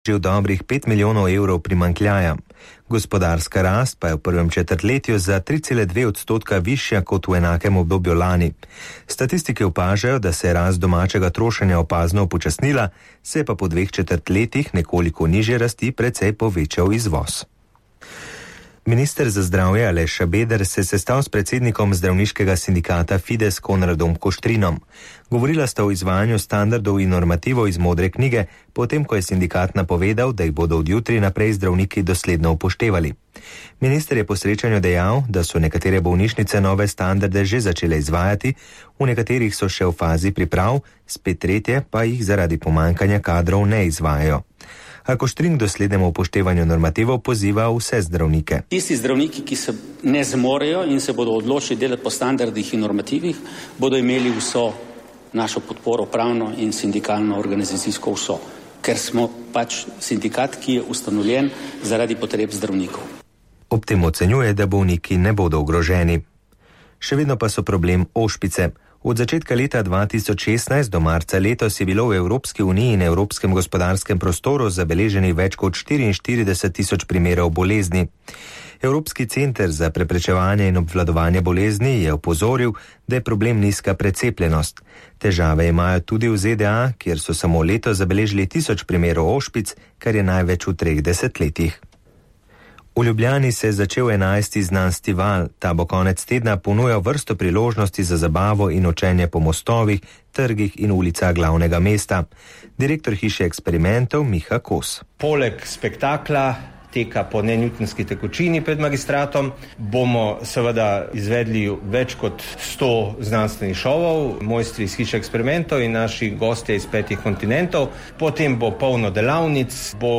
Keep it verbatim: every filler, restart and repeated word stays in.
že v dobrih pet milijonov evrov primanjkljaja. Gospodarska rast pa je v prvem četrtletju za tri cele dve odstotka višja kot v enakem obdobju lani. Statistike opažajo, da se je rast domačega trošenja opazno upočasnila, se je pa po dveh četrtletjih nekoliko nižje rasti precej povečal izvoz. Minister za zdravje Aleš Šabeder se je sestal s predsednikom zdravniškega sindikata Fides Konradom Koštrinom. Govorila sta o izvajanju standardov in normativov iz modre knjige, potem ko je sindikat napovedal, da jih bodo od jutri naprej zdravniki dosledno upoštevali. Minister je po srečanju dejal, da so nekatere bolnišnice nove standarde že začele izvajati, v nekaterih so še v fazi priprav, spet tretje pa jih zaradi pomanjkanja kadrov ne izvajajo. A Koštrin k doslednemu upoštevanju normativov poziva vse zdravnike. Tisti zdravniki, ki se ne zmorejo in se bodo odločili delati po standardih in normativih, bodo imeli vso našo podporo, pravno in sindikalno organizacijsko vso, ker smo pač sindikat, ki je ustanovljen zaradi potreb zdravnikov. Ob tem ocenjuje, da bolniki ne bodo ogroženi. Še vedno pa so problem ošpice. Od začetka leta dva tisoč šestnajst do marca letos je bilo v Evropski uniji in Evropskem gospodarskem prostoru zabeleženih več kot štiriinštirideset tisoč primerov bolezni. Evropski center za preprečevanje in obvladovanje bolezni je opozoril, da je problem nizka precepljenost. Težave imajo tudi v Z D A, kjer so samo letos zabeležili tisoč primerov ošpic, kar je največ v treh desetletjih. V Ljubljani se je začel enajsti znanstvi val. Ta bo konec tedna ponujal vrsto priložnosti za zabavo in učenje po mostovih, trgih in ulicah glavnega mesta. Direktor hiše eksperimentov Miha Kos. Poleg spektakla teka po nenewtonski tekočini pred magistratom bomo seveda izvedli več kot sto znanstvenih šovov, mojstri iz hiše eksperimentov in naši gostje iz petih kontinentov. Potem bo polno delavnic, bo